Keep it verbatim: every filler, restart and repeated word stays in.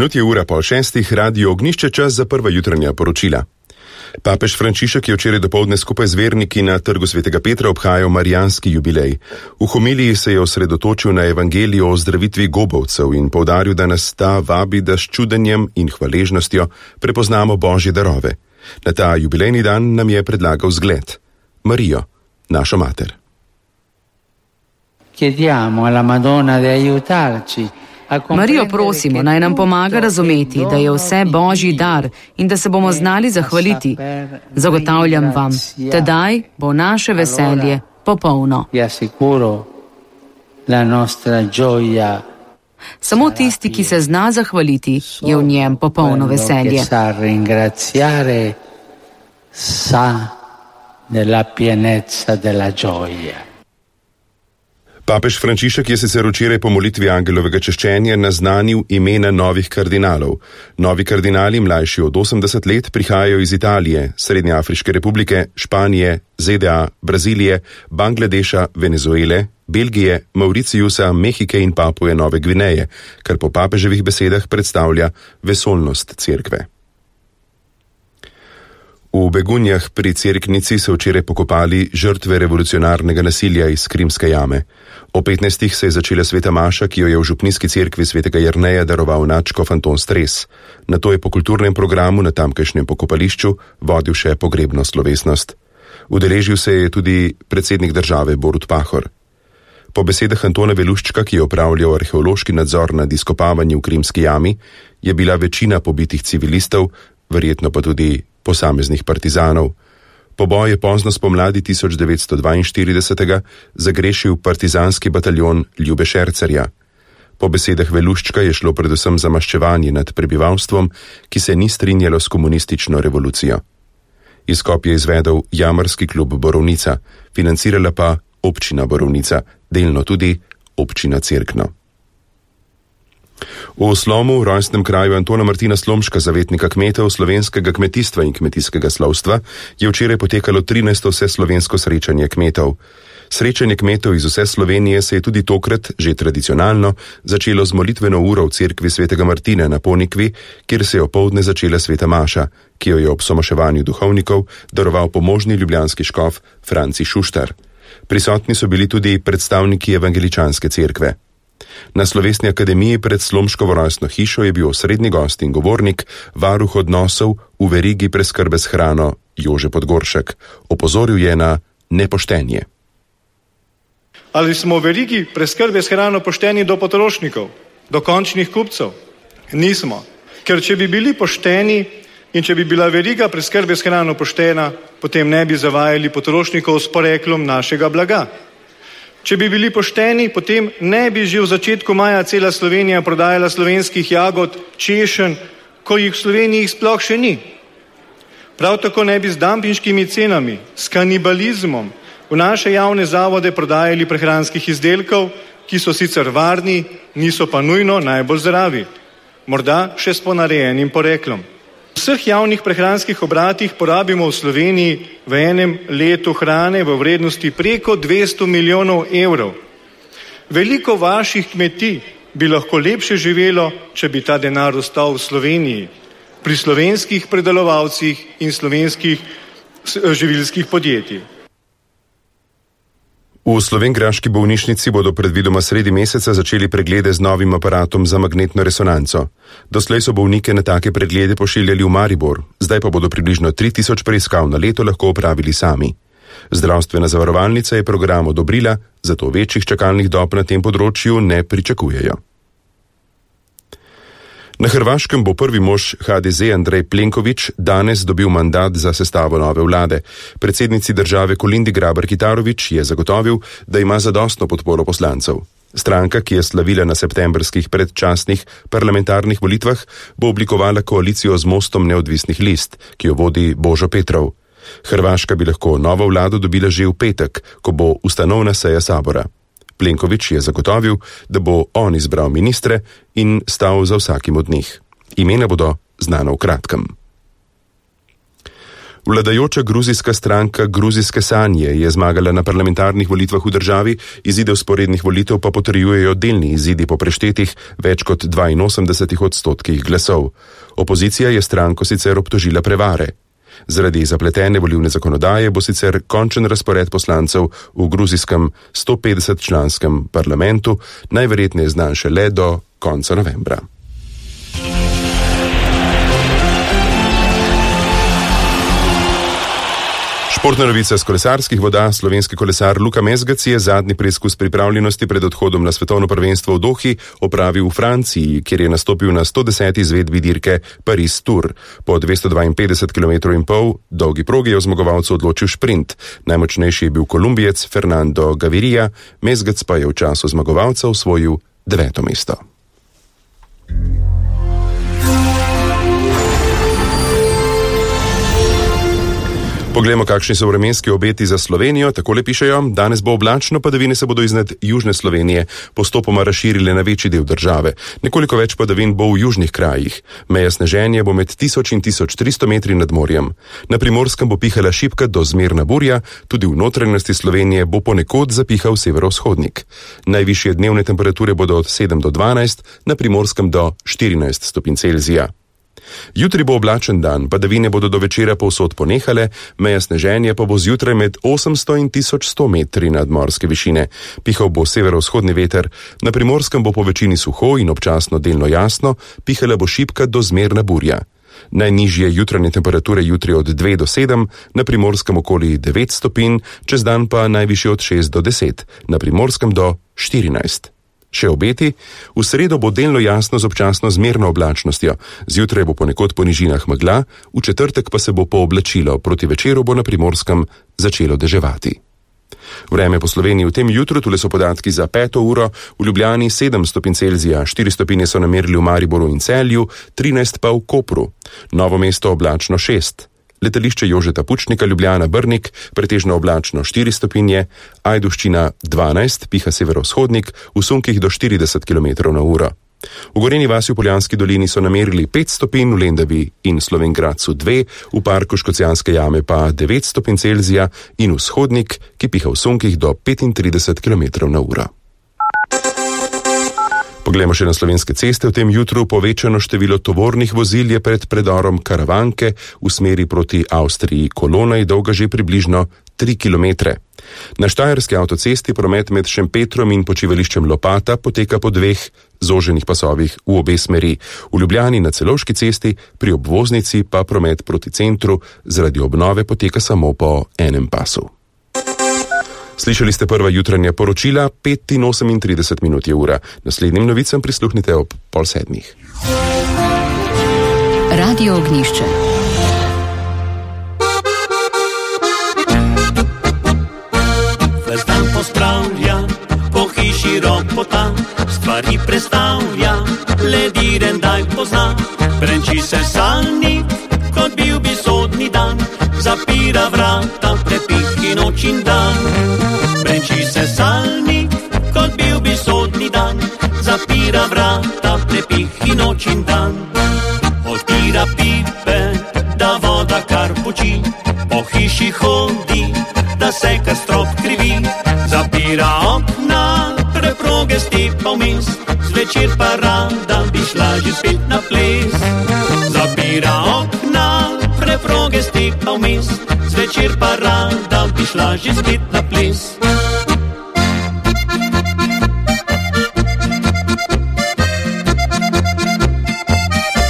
Minut je ura pol šestih, radio Ognjišče, čas za prva jutranja poročila. Papež Frančišek je včeraj dopoldne skupaj z verniki na trgu svetega Petra obhajal marijanski jubilej. V homiliji se je osredotočil na evangelijo o zdravitvi gobovcev in poudaril, da nas ta vabi, da s čudenjem in hvaležnostjo prepoznamo Božje darove. Na ta jubilejni dan nam je predlagal zgled: Marijo, našo mater. Chiediamo alla Madonna di aiutarci. Marijo prosimo, naj nam pomaga razumeti, da je vse Božji dar in da se bomo znali zahvaliti. Zagotavljam vam, tedaj bo naše veselje popolno. Samo tisti, ki se zna zahvaliti, je v njem popolno veselje. Papež Frančišek je sicer včeraj po molitvi angelovega češčenja naznanil imena novih kardinalov. Novi kardinali, mlajši od osemdeset let, prihajajo iz Italije, Srednjeafriške republike, Španije, Z D A, Brazilije, Bangladeša, Venezuele, Belgije, Mauriciusa, Mehike in Papuje Nove Gvineje, kar po papeževih besedah predstavlja vesoljnost cerkve. V Begunjah pri Cerknici so včeraj pokopali žrtve revolucionarnega nasilja iz Krimske jame. O petnajstih se je začela sveta maša, ki jo je v župnijski cerkvi svetega Jerneja daroval nadškof Anton Stres. Nato je po kulturnem programu na tamkajšnjem pokopališču vodil še pogrebno slovesnost. Udeležil se je tudi predsednik države Borut Pahor. Po besedah Antona Veluščka, ki je opravljal arheološki nadzor nad izkopavanjem v Krimski jami, je bila večina pobitih civilistov, verjetno pa tudi posameznih partizanov. Poboj je pozno spomladi tisoč devetsto dvainštiridesetega zagrešil partizanski bataljon Ljube Šercerja. Po besedah Veluščka je šlo predvsem za maščevanje nad prebivalstvom, ki se ni strinjalo s komunistično revolucijo. Izkop je izvedel jamarski klub Borovnica, financirala pa občina Borovnica, delno tudi občina Cerkno. V Slomu, rojstnem kraju Antona Martina Slomška, zavetnika kmetov, slovenskega kmetijstva in kmetijskega slovstva, je včeraj potekalo trinajsto vseslovensko srečanje kmetov. Srečanje kmetov iz vse Slovenije se je tudi tokrat, že tradicionalno, začelo z molitveno uro v cerkvi svetega Martina na Ponikvi, kjer se je opoldne začela sveta maša, ki jo je ob somaševanju duhovnikov daroval pomožni ljubljanski škof Franci Šuštar. Prisotni so bili tudi predstavniki evangeličanske cerkve. Na slovesni akademiji pred Slomškovo rojstno hišo je bil osrednji gost in govornik, varuh odnosov v verigi preskrbe s hrano Jože Podgoršek. Opozoril je na nepoštenje. Ali smo v verigi preskrbe s hrano pošteni do potrošnikov, do končnih kupcev? Nismo. Ker če bi bili pošteni in če bi bila veriga preskrbe s hrano poštena, potem ne bi zavajali potrošnikov s poreklom našega blaga. Če bi bili pošteni, potem ne bi že v začetku maja cela Slovenija prodajala slovenskih jagod, češenj, ko jih v Sloveniji sploh še ni. Prav tako ne bi z dampinškimi cenami, s kanibalizmom v naše javne zavode prodajali prehranskih izdelkov, ki so sicer varni, niso pa nujno najbolj zdravi. Morda še s ponarejenim poreklom. V vseh javnih prehranskih obratih porabimo v Sloveniji v enem letu hrane v vrednosti preko dvesto milijonov evrov. Veliko vaših kmetij bi lahko lepše živelo, če bi ta denar ostal v Sloveniji, pri slovenskih predelovalcih in slovenskih živilskih podjetij. V slovenjgraški bolnišnici bodo predvidoma sredi meseca začeli preglede z novim aparatom za magnetno resonanco. Doslej so bolnike na take preglede pošiljali v Maribor, zdaj pa bodo približno tri tisoč preiskav na leto lahko opravili sami. Zdravstvena zavarovalnica je program odobrila, zato večjih čakalnih dob na tem področju ne pričakujejo. Na Hrvaškem bo prvi mož H D Z Andrej Plenković danes dobil mandat za sestavo nove vlade. Predsednici države Kolindi Grabar-Kitarović je zagotovil, da ima zadostno podporo poslancev. Stranka, ki je slavila na septembrskih predčasnih parlamentarnih volitvah, bo oblikovala koalicijo z Mostom neodvisnih list, ki jo vodi Božo Petrov. Hrvaška bi lahko novo vlado dobila že v petek, ko bo ustanovna seja sabora. Plenković je zagotovil, da bo on izbral ministre in stal za vsakim od njih. Imena bodo znana v kratkem. V Vladajoča gruzijska stranka Gruzijske sanje je zmagala na parlamentarnih volitvah v državi, izide vzporednih volitev pa potrjujejo delni izidi po preštetih več kot dvainosemdeset odstotkih glasov. Opozicija je stranko sicer obtožila prevare. Zaradi zapletene volilne zakonodaje bo sicer končen razpored poslancev v gruzijskem sto petdeset članskem parlamentu najverjetneje znan šele do konca novembra. Športna novica s kolesarskih voda. Slovenski kolesar Luka Mesgac je zadnji preizkus pripravljenosti pred odhodom na svetovno prvenstvo v Dohi opravil v Franciji, kjer je nastopil na sto deseti izvedbi dirke Paris Tour. Po dvesto dvainpetdeset kilometrov in pol dolgi progi je o zmagovalcu odločil šprint. Najmočnejši je bil Kolumbijec Fernando Gaviria, Mesgac pa je v času zmagovalca osvojil deveto mesto. Poglejmo, kakšni so vremenski obeti za Slovenijo. Takole pišejo: danes bo oblačno, padavine se bodo iznad južne Slovenije postopoma razširile na večji del države. Nekoliko več padavin bo v južnih krajih. Meja sneženja bo med tisoč in tisoč tristo metri nad morjem. Na Primorskem bo pihala šibka do zmerna burja, tudi v notranjosti Slovenije bo ponekod zapihal severovzhodnik. Najvišje dnevne temperature bodo od sedem do dvanajst, na Primorskem do štirinajst stopinj Celzija. Jutri bo oblačen dan, padavine bodo do večera povsod ponehale, meja sneženja pa bo zjutraj med osemsto in tisoč sto metri nadmorske višine. Pihal bo severovzhodni veter, na Primorskem bo po večini suho in občasno delno jasno, pihala bo šibka do zmerna burja. Najnižje jutranje temperature jutri od dve do sedem, na Primorskem okoli devet stopinj, čez dan pa najvišje od šest do deset, na Primorskem do štirinajst. Še obeti: v sredo bo delno jasno z občasno zmerno oblačnostjo, zjutraj bo ponekod po nižinah megla, v četrtek pa se bo pooblačilo, proti večeru bo na Primorskem začelo deževati. Vreme po Sloveniji v tem jutru, tule so podatki za peto uro, v Ljubljani sedem stopinj Celzija, štiri stopinje so namerili v Mariboru in Celju, trinajst pa v Kopru, Novo mesto oblačno šest. Letališče Jožeta Pučnika Ljubljana Brnik, pretežno oblačno štiri stopinje, Ajdovščina dvanajst, piha severovzhodnik, v sunkih do štirideset kilometrov na uro. V Gorenji vasi v Poljanski dolini so namerili pet stopinj, v Lendavi in Slovenj Gradcu dve, v parku Škocjanske jame pa devet stopinj Celzija in vzhodnik, ki piha v sunkih do petintrideset kilometrov na uro. Poglejmo še na slovenske ceste. V tem jutru povečano število tovornih vozil je pred predorom Karavanke v smeri proti Avstriji. Kolona je dolga že približno tri kilometre. Na štajerski avtocesti promet med Šempetrom in počivališčem Lopata poteka po dveh zoženih pasovih v obe smeri. V Ljubljani na Celovški cesti, pri obvoznici pa promet proti centru zaradi obnove poteka samo po enem pasu. Slišali ste prva jutranja poročila, pet in osemintrideset minut je ura. Naslednjim novicam prisluhnite ob pol sedmih. Radio Ognjišče. Ves dan pospravlja, po hiši ropota, stvari prestavlja, lediren daj pozna, brenči se salnik, kot bil bi sodni dan, zapira vrata, prepihi noč in dan. Brenči se salnik, kot bil bi sodni dan, zapira vrata, prepihi noč in dan. Odpira pipe, da voda kar poči, po hiši hodi, da se kar strop krivi. Zapira okna, preproge stepa vmes, zvečer pa rada bi šla že spet na ples. Zapira okna, preproge stepa vmes, zvečer pa rada bi šla že spet na ples.